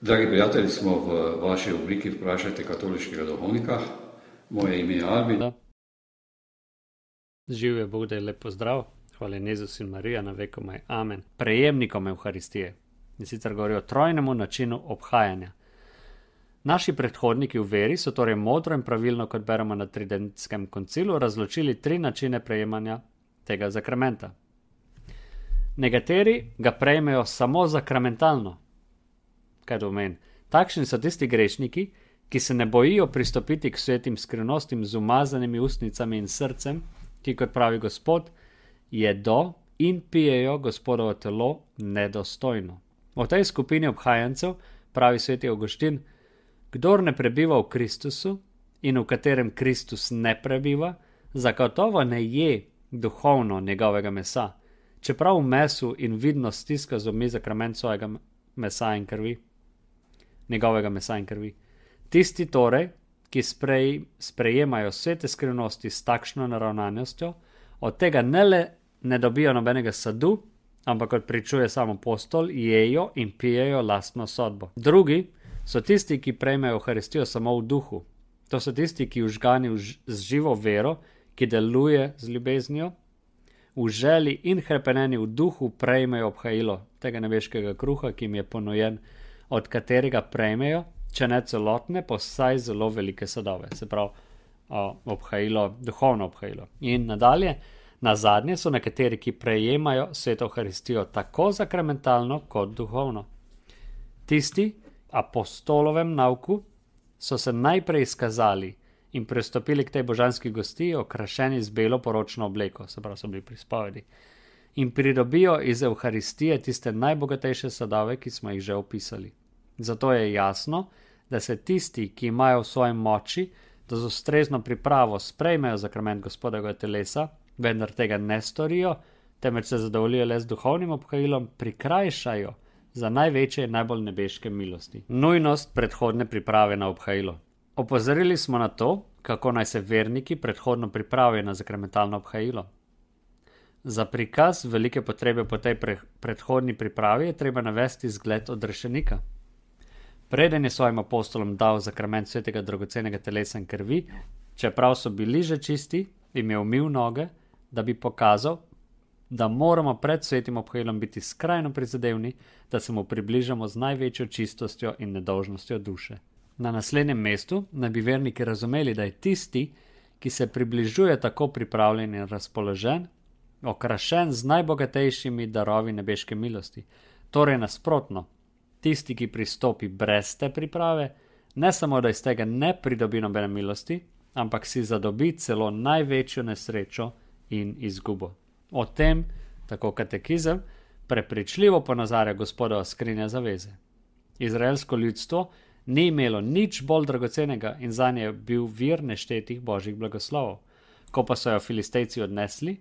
Dragi prijatelji, smo v vaši obliki Vprašajte katoliškega duhovnika. Moje ime je Albin. Živijo Bog, da je lep pozdrav. Hvala Jezus in Marija, na vekomaj. Amen. Prejemnikom Evharistije. In sicer govori o trojnemu načinu obhajanja. Naši predhodniki v veri so torej modro in pravilno, kot beremo na Tridentskem koncilu, razločili 3 načine prejemanja tega zakramenta. Nekateri ga prejmejo samo zakramentalno. Kaj to pomeni? Takšni so tisti grešniki, ki se ne bojijo pristopiti k svetim skrivnostim z umazanimi ustnicami in srcem, ki, kot pravi Gospod, jedo in pijejo Gospodovo telo nedostojno. O tej skupini obhajancev pravi sveti Avguštin: kdor ne prebiva v Kristusu in v katerem Kristus ne prebiva, zagotovo ne je duhovno njegovega mesa, čeprav v mesu in vidno stiska zobmi zakrament svojega mesa in krvi. Njegovega mesa in krvi. Tisti torej, ki sprejemajo svete skrivnosti s takšno naravnanostjo, od tega ne le ne dobijo nobenega sadu, ampak kot pričuje sam apostol, jejo in pijejo lastno sodbo. Drugi so tisti, ki prejmejo Evharistijo samo v duhu. To so tisti, ki vžgani z živo vero, ki deluje z ljubeznijo, v želji in hrepeneni v duhu prejmejo obhajilo tega nebeškega kruha, ki jim je ponujen, od katerega prejmejo, če ne celotne, pa vsaj zelo velike sadove. Se pravi, obhajilo, duhovno obhajilo. In nadalje, nazadnje so nekateri, ki prejemajo sveto Evharistijo tako zakramentalno kot duhovno. Tisti, apostolovem nauku, so se najprej izkazali in pristopili k tej božanski gostiji, okrašeni z belo poročno obleko, se pravi, so bili pri spovedi, in pridobijo iz Evharistije tiste najbogatejše sadove, ki smo jih že opisali. Zato je jasno, da se tisti, ki imajo v svojem moči, da z ustrezno pripravo sprejmejo zakrament Gospodovega telesa, vendar tega ne storijo, temveč se zadovoljijo le z duhovnim obhajilom, prikrajšajo za največje in najbolj nebeške milosti. Nujnost predhodne priprave na obhajilo. Opozorili smo na to, kako naj se verniki predhodno pripravijo na zakramentalno obhajilo. Za prikaz velike potrebe po tej predhodni pripravi je treba navesti zgled odrešenika. Preden je svojim apostolom dal zakrament svetega dragocenega telesa in krvi, čeprav so bili že čisti, jim je umil noge, da bi pokazal, da moramo pred svetim obhajilom biti skrajno prizadevni, da se mu približamo z največjo čistostjo in nedolžnostjo duše. Na naslednjem mestu naj bi verniki razumeli, da je tisti, ki se približuje tako pripravljen in razpoložen, okrašen z najbogatejšimi darovi nebeške milosti. Torej nasprotno, tisti, ki pristopi brez te priprave, ne samo, da iz tega ne pridobi nobene milosti, ampak si zadobi celo največjo nesrečo in izgubo. O tem, tako katekizem, prepričljivo ponazarja Gospodova skrinja zaveze. Izraelsko ljudstvo ni imelo nič bolj dragocenega in zanje je bil vir neštetih božjih blagoslovov. Ko pa so jo Filistejci odnesli,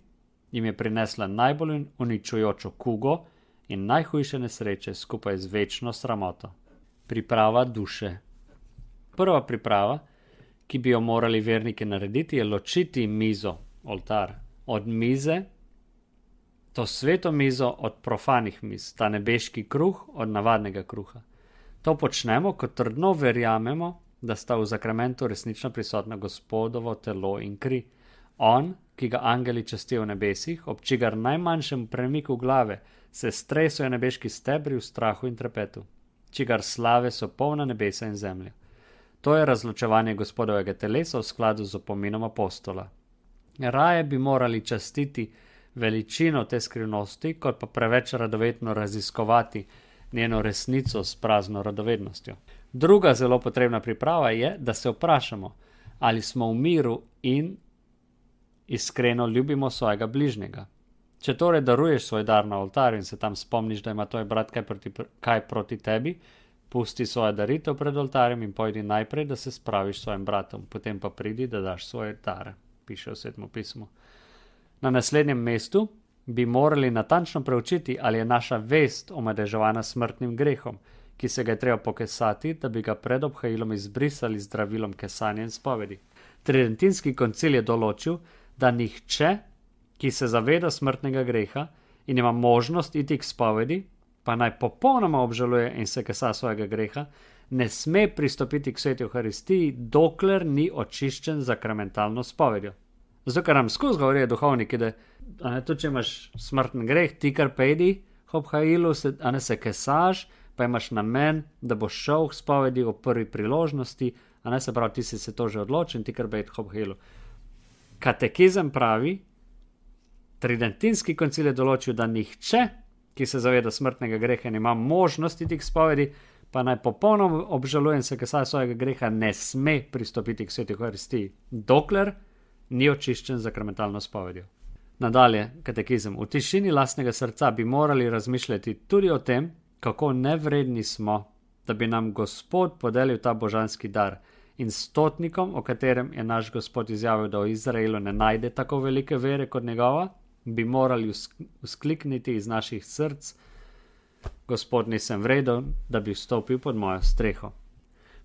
jim je prinesla najbolj uničujočo kugo in najhujše nesreče skupaj z večno sramoto. Priprava duše. Prva priprava, ki bi jo morali verniki narediti, je ločiti mizo, oltar, od mize, to sveto mizo od profanih miz, ta nebeški kruh od navadnega kruha. To počnemo, ko trdno verjamemo, da sta v zakramentu resnično prisotna Gospodovo telo in kri. On, ki ga angeli častijo v nebesih, ob čigar najmanjšem premiku glave se stresajo nebeški stebri v strahu in trepetu, čigar slave so polna nebesa in zemlja. To je razločevanje Gospodovega telesa v skladu z opominom apostola. Raje bi morali častiti veličino te skrivnosti, kot pa preveč radovedno raziskovati njeno resnico s prazno radovednostjo. Druga zelo potrebna priprava je, da se vprašamo, ali smo v miru in iskreno ljubimo svojega bližnjega. Če torej daruješ svoj dar na oltarju in se tam spomniš, da ima tvoj brat kaj proti tebi, pusti svojo daritev pred oltarjem in pojdi najprej, da se spraviš s svojim bratom, potem pa pridi, da daš svoje dare, piše v Svetem pismu. Na naslednjem mestu bi morali natančno preučiti, ali je naša vest omadeževana smrtnim grehom, ki se ga je treba pokesati, da bi ga pred obhajilom izbrisali z zdravilom kesanja in spovedi. Tridentinski koncil je določil, da nihče, ki se zaveda smrtnega greha in ima možnost iti k spovedi, pa naj popolnoma obžaluje in se kesa svojega greha, ne sme pristopiti k sveti Evharistiji, dokler ni očiščen z sakramentalno spovedjo. Zato, ker nam skozi govorijo duhovniki, da tudi če imaš smrtni greh, ti kar pejdi k obhajilu, se kesaš, pa imaš namen, da boš šel k spovedi o prvi priložnosti, se pravi, ti si se to že odločil in ti kar pejdi k obhajilu. Katekizem pravi, Tridentinski koncil je določil, da nihče, ki se zaveda smrtnega greha in ima možnost iti k spovedi, pa naj popolnoma obžaluje in se kesa svojega greha, ne sme pristopiti k sveti Evharistiji, dokler ni očiščen z sakramentalno spovedjo. Nadalje, katekizem. V tišini lastnega srca bi morali razmišljati tudi o tem, kako nevredni smo, da bi nam Gospod podelil ta božanski dar, in stotnikom, o katerem je naš Gospod izjavil, da v Izraelu ne najde tako velike vere kot njegova, bi morali vzklikniti iz naših src: Gospod, nisem vreden, da bi vstopil pod mojo streho.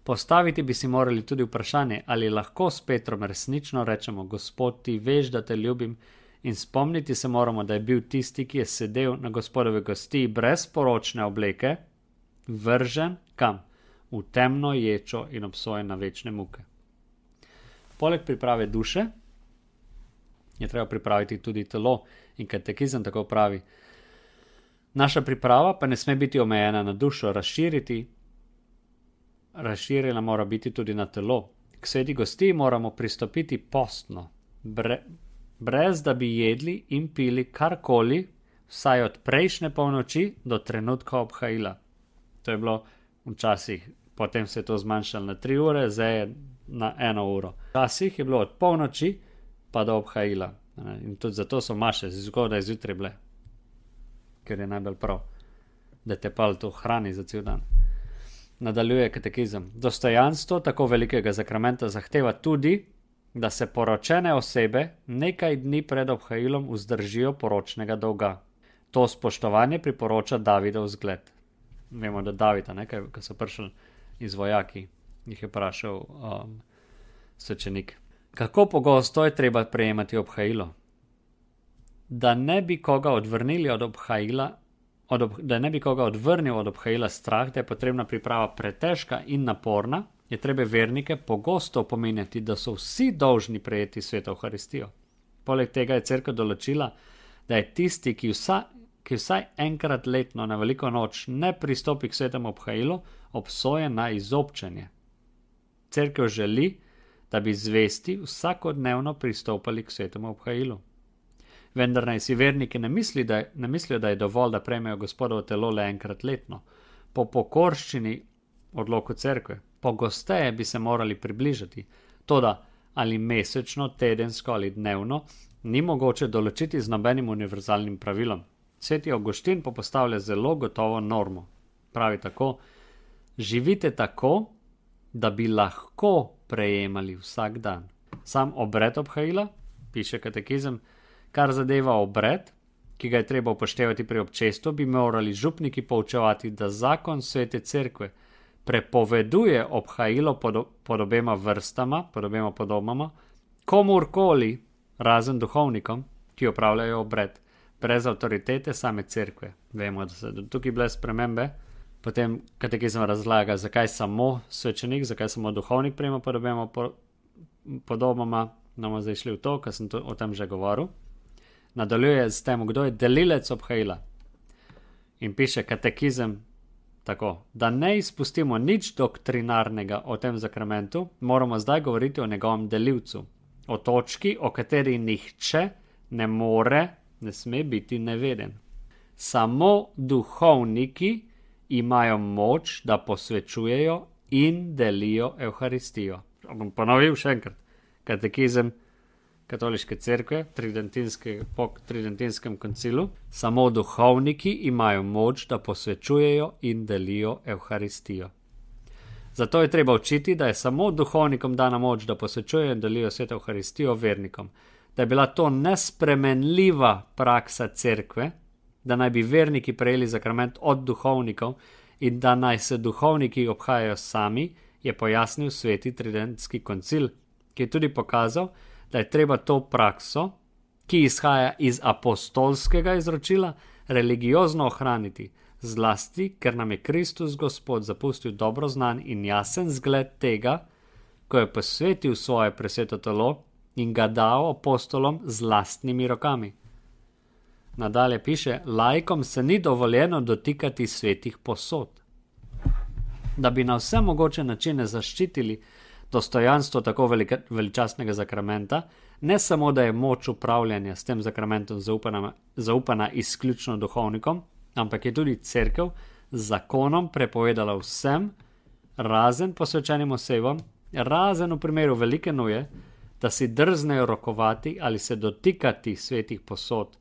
Postaviti bi si morali tudi vprašanje, ali lahko s Petrom resnično rečemo: Gospod, ti veš, da te ljubim, in spomniti se moramo, da je bil tisti, ki je sedel na Gospodove gostiji brez poročne obleke, vržen kam? V temno ječo in obsojen na večne muke. Poleg priprave duše je treba pripraviti tudi telo, in katekizem tako pravi: naša priprava pa ne sme biti omejena na dušo, razširjena mora biti tudi na telo. K sveti gostiji moramo pristopiti postno, brez da bi jedli in pili karkoli, vsaj od prejšnje polnoči do trenutka obhajila. To je bilo včasih, potem se je to zmanjšalo na 3 ure, zdaj je na 1 uro. Včasih je bilo od polnoči pa do obhajila. In tudi zato so maše zgodaj zjutraj bile, ker je najbolj prav, da te pal to hrani za cel dan. Nadaljuje katekizem. Dostojanstvo tako velikega sakramenta zahteva tudi, da se poročene osebe nekaj dni pred obhajilom vzdržijo poročnega dolga. To spoštovanje priporoča Davidov zgled. Vemo, da Davida, ko so prišli iz vojaki, jih je vprašal svečenik: kako pogosto je treba prejemati obhajilo? Da ne bi koga odvrnili od obhajila, da ne bi koga odvrnil od obhajila strah, da je potrebna priprava pretežka in naporna, je treba vernike pogosto opominjati, da so vsi dolžni prejeti sveto Evharistijo. Poleg tega je cerkev določila, da je tisti, ki vsaj enkrat letno na veliko noč ne pristopi k svetemu obhajilu, obsojen na izobčenje. Cerkev želi, da bi zvesti vsakodnevno pristopali k svetemu obhajilu. Vendar naj si verniki ne mislijo, da je dovolj, da prejmejo Gospodovo telo le enkrat letno. Po pokorščini odloku cerkve, pogosteje bi se morali približati. Toda ali mesečno, tedensko ali dnevno, ni mogoče določiti z nobenim univerzalnim pravilom. Sveti Avguštin pa postavlja zelo gotovo normo. Pravi tako: živite tako, da bi lahko prejemali vsak dan. Sam obred obhajila, piše katekizem, kar zadeva obred, ki ga je treba upoštevati pri občestvu, bi morali župniki poučevati, da zakon svete cerkve prepoveduje obhajilo pod obema vrstama, pod obema podobama, komurkoli, razen duhovnikom, ki opravljajo obred, brez avtoritete same cerkve. Vemo, da so tukaj bile spremembe. Potem katekizem razlaga, zakaj samo svečenik, zakaj samo duhovnik prejema pod obema podobama. Bomo zdaj šli v to, ker sem o tem že govoril. Nadaljuje s tem, kdo je delilec obhajila. In piše katekizem tako: da ne izpustimo nič doktrinarnega o tem sakramentu, moramo zdaj govoriti o njegovem delilcu, o točki, o kateri nihče ne sme biti neveden. Samo duhovniki imajo moč, da posvečujejo in delijo Evharistijo. Bom ponovil še enkrat. Katekizem Katoliške cerkve po Tridentinskem koncilu: samo duhovniki imajo moč, da posvečujejo in delijo Evharistijo. Zato je treba učiti, da je samo duhovnikom dana moč, da posvečujejo in delijo sveto Evharistijo vernikom. Da je bila to nespremenljiva praksa cerkve, da naj bi verniki prejeli sakrament od duhovnikov in da naj se duhovniki obhajajo sami, je pojasnil sveti Tridentski koncil, ki je tudi pokazal, da je treba to prakso, ki izhaja iz apostolskega izročila, religiozno ohraniti. zlasti, ker nam je Kristus Gospod zapustil dobro znan in jasen zgled tega, ko je posvetil svoje presveto telo in ga dal apostolom z lastnimi rokami. Nadalje piše, laikom se ni dovoljeno dotikati svetih posod. Da bi na vse mogoče načine zaščitili dostojanstvo tako veličastnega zakramenta, ne samo, da je moč upravljanja s tem zakramentom zaupana izključno duhovnikom, ampak je tudi cerkev z zakonom prepovedala vsem, razen posvečenim osebam, razen v primeru velike nuje, da si drznejo rokovati ali se dotikati svetih posod,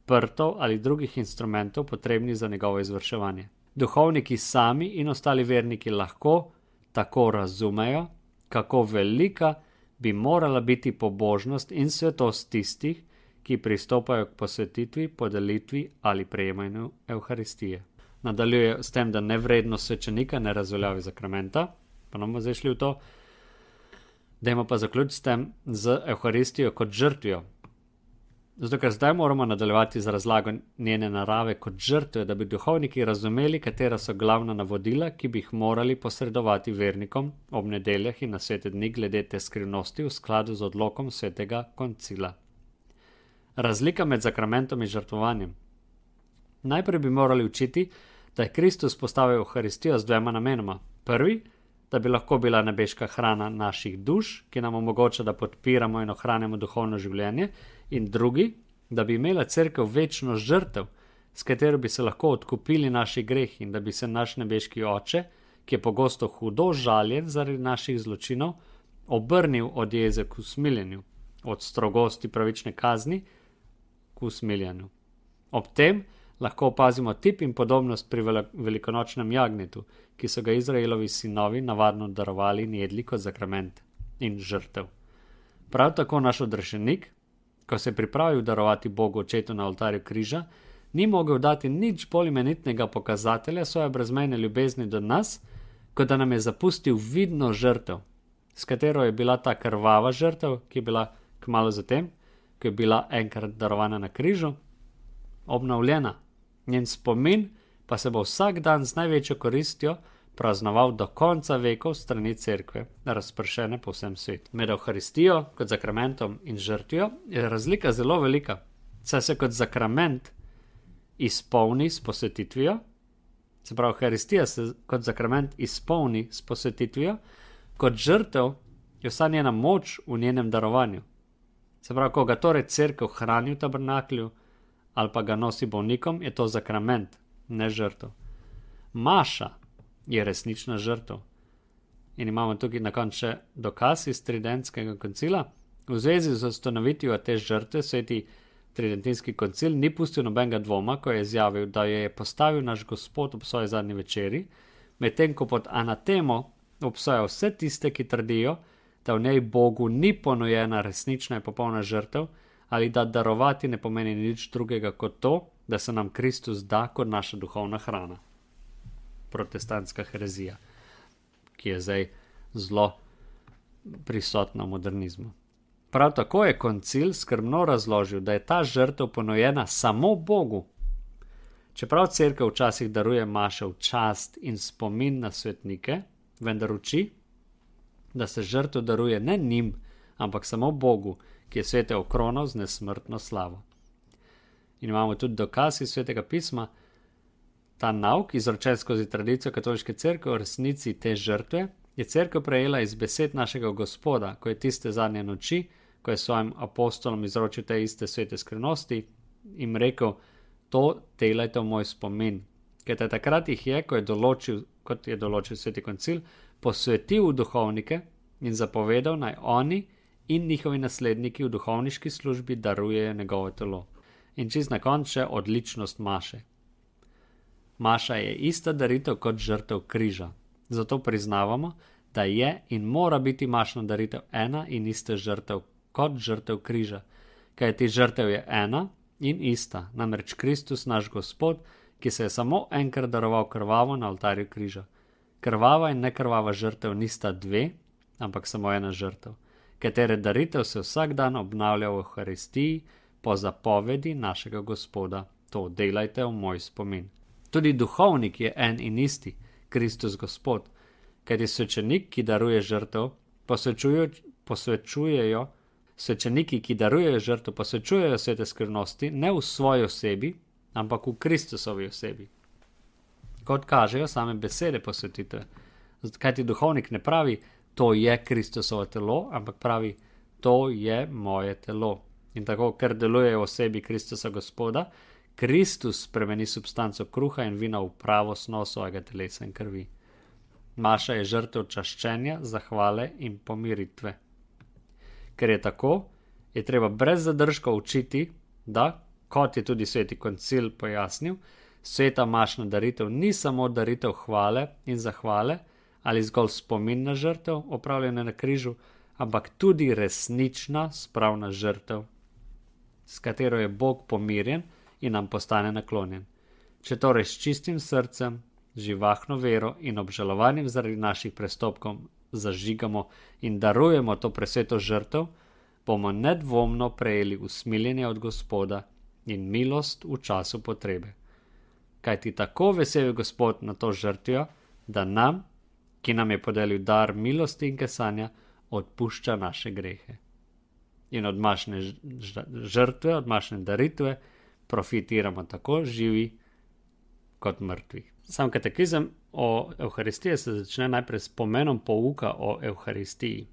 prtov ali drugih instrumentov potrebnih za njegovo izvrševanje. Duhovniki sami in ostali verniki lahko tako razumejo, kako velika bi morala biti pobožnost in svetost tistih, ki pristopajo k posvetitvi, podelitvi ali prejemanju Evharistije. Nadaljuje s tem, da nevrednost svečenika ne razveljavi zakramenta, pa nam bomo zdaj šli v to. Dajmo pa zaključiti s tem z Evharistijo kot žrtvijo. Zato, ker zdaj moramo nadaljevati z razlago njene narave kot žrtve, da bi duhovniki razumeli, katera so glavna navodila, ki bi jih morali posredovati vernikom ob nedeljah in na svete dni glede te skrivnosti v skladu z odlokom svetega koncila. Razlika med zakramentom in žrtvovanjem. Najprej bi morali učiti, da je Kristus postavil Evharistijo z dvema namenoma. Prvi, da bi lahko bila nebeška hrana naših duš, ki nam omogoča, da podpiramo in ohranjamo duhovno življenje, in drugi, da bi imela cerkev večno žrtev, s katero bi se lahko odkupili naši greh in da bi se naš nebeški Oče, ki je pogosto hudo žaljen zaradi naših zločinov, obrnil od jeze k usmiljenju, od strogosti pravične kazni k usmiljenju. Ob tem lahko opazimo tip in podobnost pri velikonočnem jagnjetu, ki so ga Izraelovi sinovi navadno darovali in jedli kot zakrament in žrtev. Prav tako naš odrešenik, ko se je pripravil darovati Bogu očetu na oltarju križa, ni mogel dati nič bolj imenitnega pokazatelja svoje brezmejne ljubezni do nas, kot da nam je zapustil vidno žrtev, s katero je bila ta krvava žrtev, ki je bila kmalu zatem, ki je bila enkrat darovana na križu, obnovljena. Njen spomin pa se bo vsak dan z največjo koristjo praznoval do konca vekov strani cerkve, razpršene po vsem svetu. Med Evharistijo kot zakramentom in žrtvijo je razlika zelo velika, saj se kot zakrament izpolni s posvetitvijo, se pravi, Evharistija se kot zakrament izpolni s posvetitvijo, kot žrtev je vsa njena moč v njenem darovanju. Se pravi, ko ga torej cerkev hrani v tabernaklju ali pa ga nosi bolnikom, je to zakrament, ne žrtev. Maša je resnična žrtev. In imamo tukaj na koncu še dokaz iz Tridentskega koncila. V zvezi z ustanovitvijo te žrtve sveti Tridentinski koncil ni pustil nobenega dvoma, ko je izjavil, da jo je postavil naš Gospod ob svoji zadnji večeri, medtem ko pod anatemo obsoja vse tiste, ki trdijo, da v njej Bogu ni ponujena resnična in popolna žrtev, ali da darovati ne pomeni nič drugega kot to, da se nam Kristus da kot naša duhovna hrana. Protestantska herezija, ki je zdaj zelo prisotna v modernizmu. Prav tako je koncil skrbno razložil, da je ta žrtev ponujena samo Bogu. Čeprav cerkev včasih daruje maše v čast in spomin na svetnike, vendar uči, da se žrtev daruje ne njim, ampak samo Bogu, ki je svete okronal z nesmrtno slavo. In imamo tudi dokaz iz Svetega pisma. Ta nauk, izročen skozi tradicijo katoliške cerkve o resnici te žrtve, je cerkev prejela iz besed našega Gospoda, ko je tiste zadnje noči, ko je svojim apostolom izročil te iste svete skrivnosti, jim rekel, to delajte v moj spomin. Ker takrat jih je, kot je določil sveti koncil, posvetil v duhovnike in zapovedal, naj oni in njihovi nasledniki v duhovniški službi darujejo njegovo telo. In čist na koncu še odličnost maše. Maša je ista daritev kot žrtev križa. Zato priznavamo, da je in mora biti mašna daritev ena in ista žrtev kot žrtev križa. Kajti žrtev je ena in ista, namreč Kristus naš Gospod, ki se je samo enkrat daroval krvavo na oltarju križa. Krvava in nekrvava žrtev nista dve, ampak samo ena žrtev, katere daritev se vsak dan obnavlja v Evharistiji po zapovedi našega Gospoda. To delajte v moj spomin. Tudi duhovnik je en in isti, Kristus Gospod, kajti svečenik, ki daruje žrtev, svečeniki, ki darujejo žrtev, posvečujejo svete skrivnosti ne v svoji osebi, ampak v Kristusovi osebi. Kot kažejo same besede posvetitve. Kajti duhovnik ne pravi, to je Kristusovo telo, ampak pravi, to je moje telo. In tako, ker deluje v osebi Kristusa Gospoda, Kristus spremeni substanco kruha in vina v pravo snov svojega telesa in krvi. Maša je žrtev čaščenja, zahvale in pomiritve. Ker je tako, je treba brez zadržka učiti, da, kot je tudi sveti koncil pojasnil, sveta mašna daritev ni samo daritev hvale in zahvale ali zgolj spomin na žrtev, opravljene na križu, ampak tudi resnična spravna žrtev, s katero je Bog pomirjen in nam postane naklonjen. Če torej s čistim srcem, živahno vero in obžalovanjem zaradi naših prestopkov zažigamo in darujemo to presveto žrtev, bomo nedvomno prejeli usmiljenje od Gospoda in milost v času potrebe. Kajti tako vesel je Gospod na to žrtvijo, da nam, ki nam je podelil dar milosti in kesanja, odpušča naše grehe. In od mašne žrtve, od mašne daritve profitiramo tako živi kot mrtvi. Sam katekizem o Evharistiji se začne najprej s pomenom pouka o Evharistiji.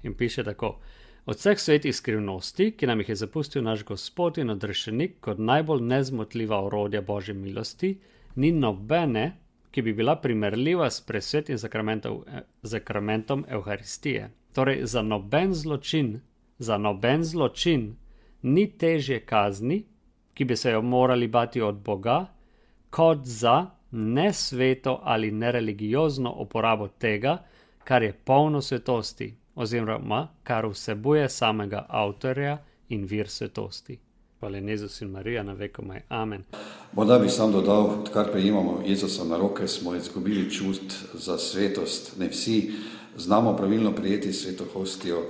In piše tako: od vseh svetih skrivnosti, ki nam jih je zapustil naš Gospod in odrešenik kot najbolj nezmotljiva orodja Božje milosti, ni nobene, ki bi bila primerljiva s presvetim zakramentom Evharistije. Torej, za noben zločin ni težje kazni, ki bi se jo morali bati od Boga, kot za nesveto ali nereligiozno uporabo tega, kar je polno svetosti, oziroma kar vsebuje samega avtorja in vir svetosti. Hvala Jezus in Marija, na vekomaj. Amen. Morda bi sam dodal, odkar prejemamo Jezusa na roke, smo izgubili čust za svetost. Ne vsi znamo pravilno prijeti sveto hostijo,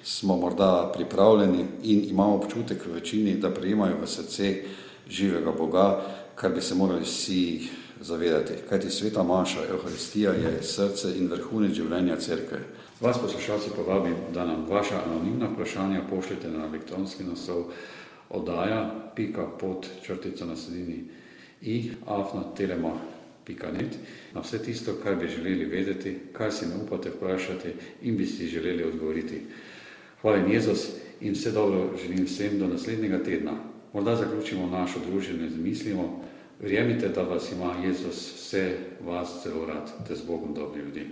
smo morda pripravljeni in imamo občutek v večini, da prejemajo v srce živega Boga, kar bi se morali vsi zavedati. Kajti sveta maša, Evharistija, je srce in vrhunec življenja cerkve. Vas poslušalci povabim, da nam vaša anonimna vprašanja pošljete na elektronski naslov oddaja.pod_i@telema.net na vse tisto, kar bi želeli vedeti, kar si ne upate vprašati in bi si želeli odgovoriti. Hvala Jezus in vse dobro želim vsem do naslednjega tedna. Morda zaključimo našo druženje z mislimo: verjemite, da vas ima Jezus vse vas zelo rad, te z Bogom dobri ljudje.